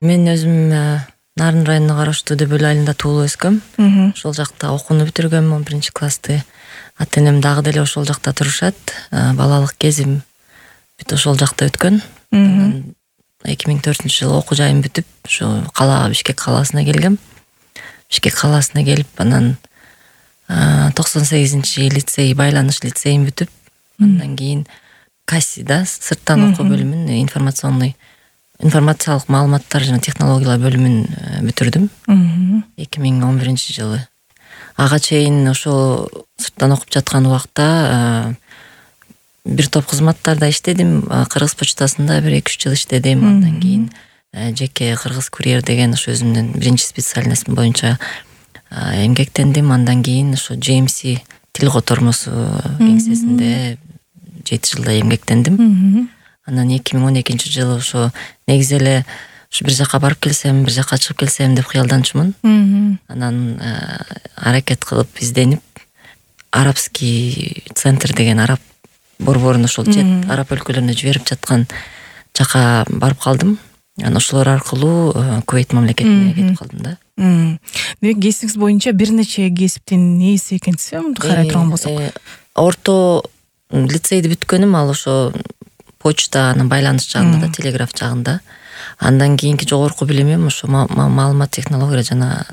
Мен өзүм Нарын районуна караштуу Дөбөл айылында туулуп өскөм. Ошол жакта окууну бүтүргөм 11-классты. Ата-энем дагы деле ошол жакта турушат. Балалык кезим бүт ошол жакта өткөн. 2004-жылы окуу жайым бүтүп, ошо калаага Бишкек калаасына келгем. Бишкек калаасына келип, анан 98-чи лицей, байланыш лицейин бүтүп, андан кийин КАСИда сырттан окуу бөлүмүн информациялык маалыматтар жана технологиялар бөлүмүн бүтүрдүм 2011-жылы. Ага чейин ошо сырттан окуп жаткан убакта бир топ кызматтарда иштедим. Кыргыз почтасында 1-2 жыл иштедим. Андан кийин жеке Кыргыз курьер деген ошо өзүмдүн биринчи специальностум боюнча эмгектендим. Андан кийин ошо JMC тил котормосу кеңсесинде 7 жылдай эмгектендим. Анан 2012-жылы ошо негизи эле ушу бир жака барып келсем, бир жака чыгып келсем деп кыялданчумун. Анан аракет кылып изденип арабский центр деген араб борборун ошол чет араб өлкөлөрүнө жиберип жаткан жака барып калдым. Анан ошолор аркылуу Кувейт мамлекетине кетип калдым да. Демек кесибиңиз боюнча бир нече кесиптин ээси экенсиз, мынтип карай турган болсок. Орто лицейди бүткөнүм ал ошо почта, анан байланыш жагында да, телеграф жагында. Андан кийинки жогорку билимим ошо маалымат технология жана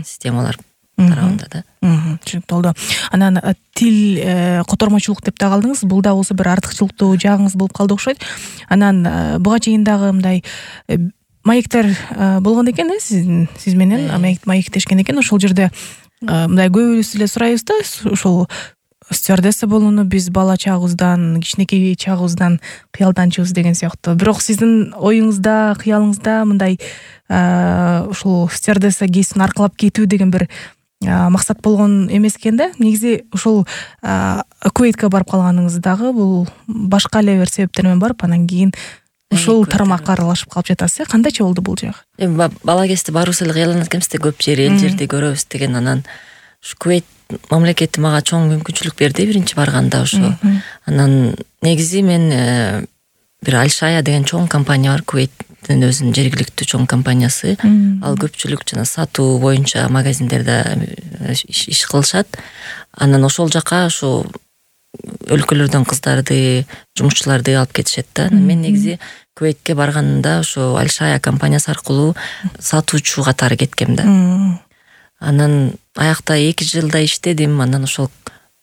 системалар тарабында да. Түшүнүктүү болду. Анан тил котормочулук деп да калдыңыз. Бул да болсо бир артыкчылыктуу жагыңыз болуп калды окшойт. Анан буга чейин дагы мындай маектер болгон экен, сиз менен маектешкен экен. Ошол жерде мындай көбүбүз эле сурайбыз да, ошол стюардесса болууну биз бала чагыбыздан, кичинекей чагыбыздан кыялданчубыз деген сыяктуу. Бирок сиздин оюңузда, кыялыңызда мындай ушул стюардесса кесибин аркылап кетүү деген бир максат болгон эмес экен да. Негизи ушул Кувейтке барып калганыңыз дагы бул башка эле бир себептер менен барып, анан кийин ушул тармакка аралашып калып жатасыз. Кандайча болду бул жагы? Бала кезде барыбыз эле кыялданат экенбиз да, көп жер, эл жерди көрөбүз деген. Анан ушу Кувейт мамлекети мага чоң мүмкүнчүлүк берди биринчи барганда ошо. Анан негизи мен бир Аль-Шая деген чоң компания бар, Кувейттин өзүнүн жергиликтүү чоң компаниясы. Ал көпчүлүк жана сатуу боюнча магазиндерде иш кылышат. Анан ошол жака ошо өлкөлөрдөн кыздарды, жумушчуларды алып кетишет да. Мен негизи Кувейтке барганымда ошо Аль-Шая компаниясы аркылуу сатуучу катары кеткем да. Анан аякта 2 жылдай иштедим. Анан ошол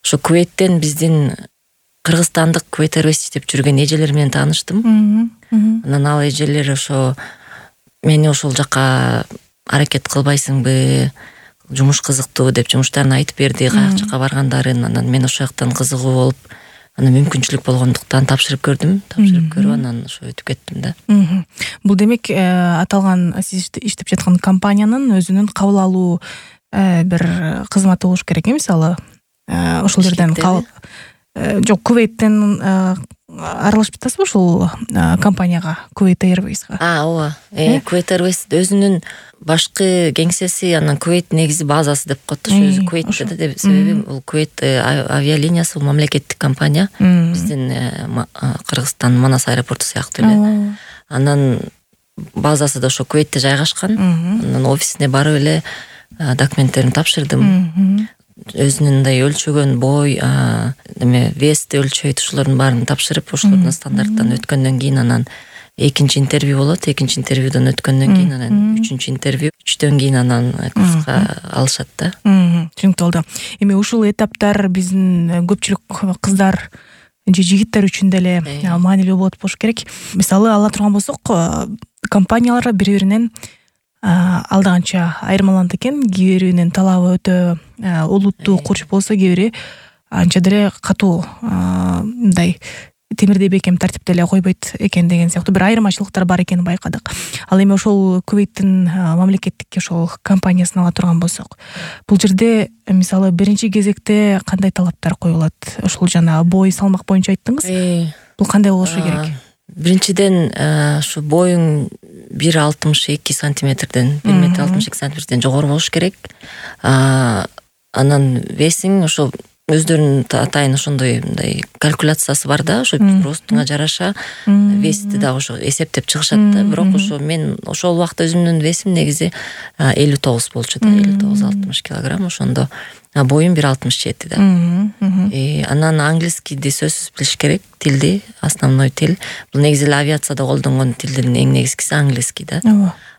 Кувейттен биздин кыргызстандык Кувейт Airways иштеп жүргөн эжелер менен тааныштым. Анан ал эжелер ошо мени ошол жака аракет кылбайсыңбы, жумуш кызыктуу деп жумуштарын айтып берди, каяк жака баргандарын. Анан мен ошол жактан кызыгуу болуп, анан мүмкүнчүлүк болгондуктан тапшырып көрдүм. Тапшырып көрүп анан ошо өтүп кеттим да. Бул демек аталган сиз иштеп жаткан компаниянын өзүнүн кабыл алуу бир кызматы болуш керек, мисалы ошол жерден жок, Кувейттен аралашып жатасызбы ушул компанияга, Кувейт Airways'га? Ооба. Кувейт Airways өзүнүн башкы кеңсеси, анан Кувейт негизи базасы деп коет. Ошо өзү Кувейтте да, себеби бул Кувейт авиалиниясы, бул мамлекеттик компания. Биздин Кыргызстан Манас аэропорту сыяктуу эле. Анан базасы да ошо Кувейтте жайгашкан. Анан офисине барып эле документтерин тапшырдым. Өзүнүн мындай өлчөгөн бой, вести өлчөйт, ошолордун баарын тапшырып, ошолордун стандарттан өткөндөн кийин анан экинчи интервью болот. Экинчи интервьюдон өткөндөн кийин анан үчүнчү интервью, үчтөн кийин анан курска алышат да. Түшүнүктүү болду. Эми ушул этаптар биздин көпчүлүк кыздар же жигиттер үчүн деле маанилүү болот болуш керек. Мисалы ала турган болсок, компаниялар бири-биринен алда канча айырмаланат экен. Кээ биринин талабы өтө олуттуу, курч болсо, кээ бири анча деле катуу, мындай темирдей бекем тартипте эле койбойт экен деген сыяктуу бир айырмачылыктар бар экенин байкадык. Ал эми ошол Кувейттин мамлекеттик ошол компаниясын ала турган болсок, бул жерде мисалы биринчи кезекте кандай талаптар коюлат? Ошол жана бой, салмак боюнча айттыңыз. Бул кандай болушу керек? Биринчиден ушу боюң 1,62 сантиметрден, 1 метр 62 сантиметрден жогору болуш керек. Анан весиң ошо өздөрүнүн атайын ошондой мындай калькуляциясы бар да, ошо ростуңа жараша вести дагы ошо эсептеп чыгышат да. Бирок ошо мен ошол убакта өзүмдүн весим негизи 59 болчу да, 59-60 килограмм. Ошондо боюм 1,67 да. Анан английскийди сөзсүз билиш керек, тилди, основной тил. Бул негизи эле авиацияда колдонгон тилдин эң негизгиси английский да.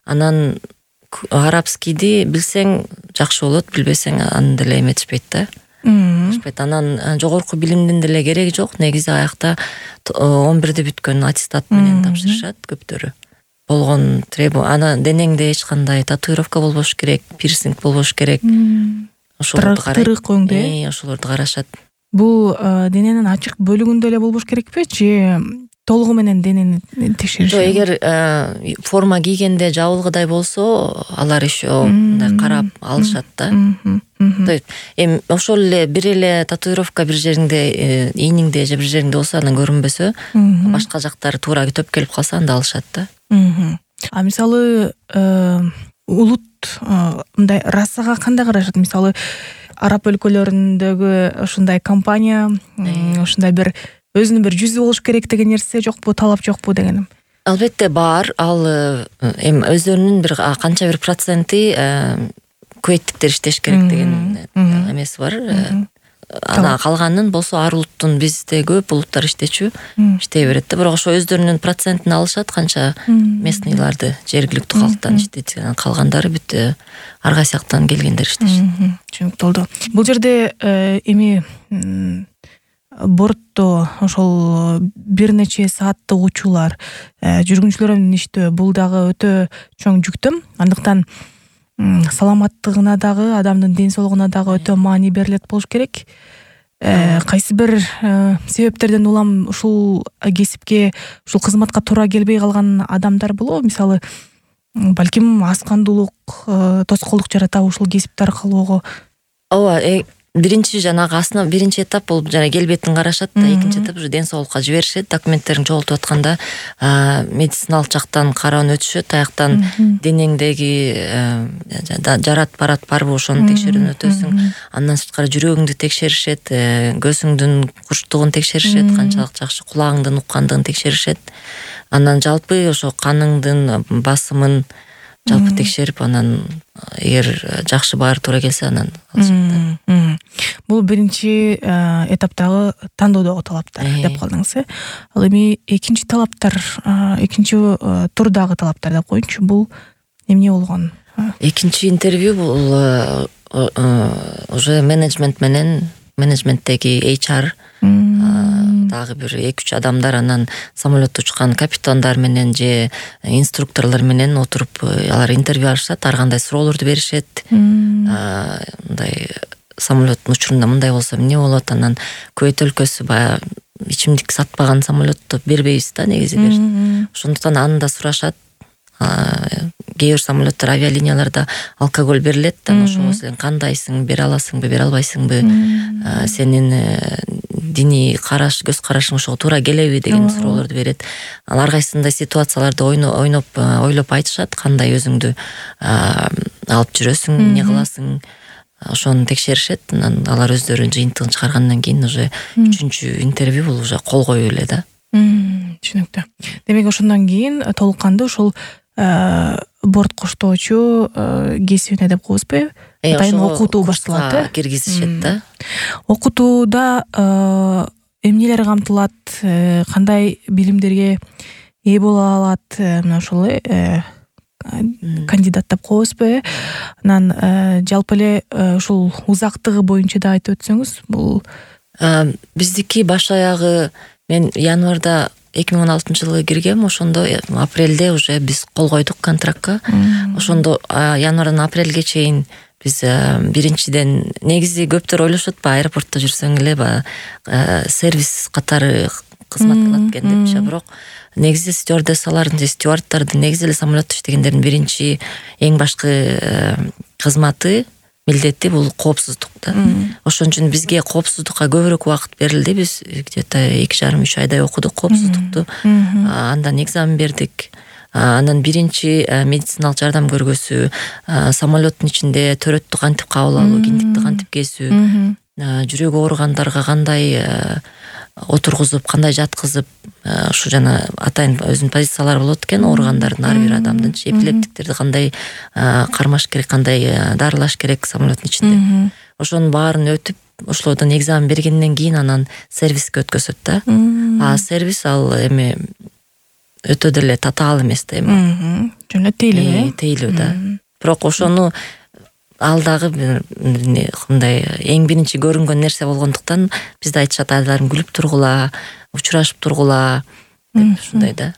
Анан арабскийди билсең жакшы болот, билбесең аны деле эметишпейт да. Анан жогорку билимдин деле кереги жок. Негизи аякта 11-де бүткөн аттестат менен тапшырышат көптөрү. Болгон ана денеңде эч кандай татуировка болбош керек, пирсинг болбош керек. Тырык өңдө. Ошолорду карашат. Бул дененин ачык бөлүгүндө эле болбош керекпи, же толугу менен денени текшериш? Жок, эгер форма кийгенде жабылгыдай болсо, алар еще мындай карап алышат да. Эми ошол эле бир эле татуировка бир жериңде, ийниңде же бир жериңде болсо, анан көрүнбөсө, башка жактары туура төп келип калса, анда алышат да. А мисалы улут мындай расага кандай карашат? Мисалы араб өлкөлөрүндөгү ушундай компания, ушундай бир өзүнүн бир жүзү болуш керек деген нерсе жокпу, талап жокпу дегеним? Албетте бар. Ал эми өздөрүнүн бир канча бир проценти кувейттиктер иштеш керек деген эмеси бар. Ана калганын болсо ар улуттун, бизде көп улуттар иштечү, иштей берет да. Бирок ошо өздөрүнүн процентин алышат, канча местныйларды, жергиликтүү калктан иштейт. Калгандары бүт ар кайсы жактан келгендер иштешет. Түшүнүктүү. Бул жерде эми бортто ошол бир нече сааттык учуулар, жүргүнчүлөр менен иштөө, бул дагы өтө чоң жүктөм. Андыктан саламаттыгына дагы, адамдын ден соолугуна дагы өтө маани берилет болуш керек. Кайсы бир себептерден улам ушул кесипке, ушул кызматка туура келбей калган адамдар болобу? Мисалы, балким аскандуулук, тоскоолдук жаратабы ушул кесипти аркылуу? Ооба, биринчи жанагы биринчи этап бул жана келбетин карашат да, экинчи этап уже ден соолукка жиберишет. Документтерин жоготуп атканда медициналык жактан кароон өтүшөт, аяктан денеңдеги жарат барат барбы ошону текшерүүнү өтөсүң. Андан сырткары жүрөгүңдү текшеришет, көзүңдүн курчтугун текшеришет, канчалык жакшы кулагыңдын уккандыгын текшеришет. Анан жалпы ошо каныңдын басымын жалпы текшерип, анан эгер жакшы баары туура келсе, анан алышат. Бул биринчи этаптагы тандоодогу талаптар деп калдыңыз. Ал эми экинчи талаптар, экинчи турдагы талаптар деп коеюнчу. Бул эмне болгон? Экинчи интервью бул уже менеджменттеги HR дагы бир 2-3 адамдар, анан самолетто учкан капитандар менен же инструкторлор менен отуруп алар интервью алышат, ар кандай суроолорду беришет. Мындай самолеттин учурунда мындай болсо эмне болот? Анан Кувейт өлкөсү баягы ичимдик сатпаган самолетту бербейбиз да, негизи беришет. Ошондуктан аны да сурашат. Кээ бир самолеттер, авиалинияларда алкоголь берилет, анан ошого сен кандайсың, бере аласыңбы, бере албайсыңбы, сенин диний караш, көз карашың ошого туура келеби деген суроолорду берет. Ар кайсындай ситуацияларды ойлоп айтышат, кандай өзүңдү алып жүрөсүң, эмне кыласың, ошону текшеришет. Анан алар өздөрү жыйынтыгын чыгаргандан кийин уже 3-чү интервью бул уже кол коюу эле да. Түшүнүктүү. Демек ошондон кийин толук кандуу ушул борт коштоочу кесибине деп коебузбу? Атайын окутуу башталат, киргизишет да. Окутууда эмнелер камтылат, кандай билимдерге ээ боло алат мына ушул кандидат деп коебузбу? Анан жалпы эле ушул узактыгы боюнча да айтып өтсөңүз. Бул биздики баш аягы мен январда 2016-жылы киргем, ошондо апрелде уже биз кол койдук контрактка. Ошондо январдан апрелге чейин биз биринчиден негизи көптөр ойлошот, аэропортто жүрсөң эле сервис катары кызмат кылат экен депчи. Бирок негизи стюардессалардын же стюардтардын, негизи эле самолетто иштегендердин биринчи эң башкы кызматы, милдети бул коопсуздук да. Ошон үчүн бизге коопсуздукка көбүрөөк убакыт берилди. Биз где-то 2,5-3 айдай окудук коопсуздукту. Андан экзамен бердик. Анан биринчи медициналык жардам көргөзүү, самолеттин ичинде төрөттү кантип кабыл алуу, киндикти кантип кесүү, жүрөгү ооругандарга кандай отургузуп, кандай жаткызып, ушу жана атайын өзүнүн позициялары болот экен ооругандардын ар бир адамдынчы. Эпилептиктерди кандай кармаш керек, кандай дарылаш керек самолеттун ичинде. Ошонун баарын өтүп, ошолордон экзамен бергенден кийин анан сервиске өткөзөт да. Сервис ал эми өтө деле татаал эмес да эми. Жөн эле тейлүү, тейлүү да. Бирок ошону ал дагы мындай эң биринчи көрүнгөн нерсе болгондуктан бизде айтышат, айдаларым күлүп тургула, учурашып тургула деп ушундай да.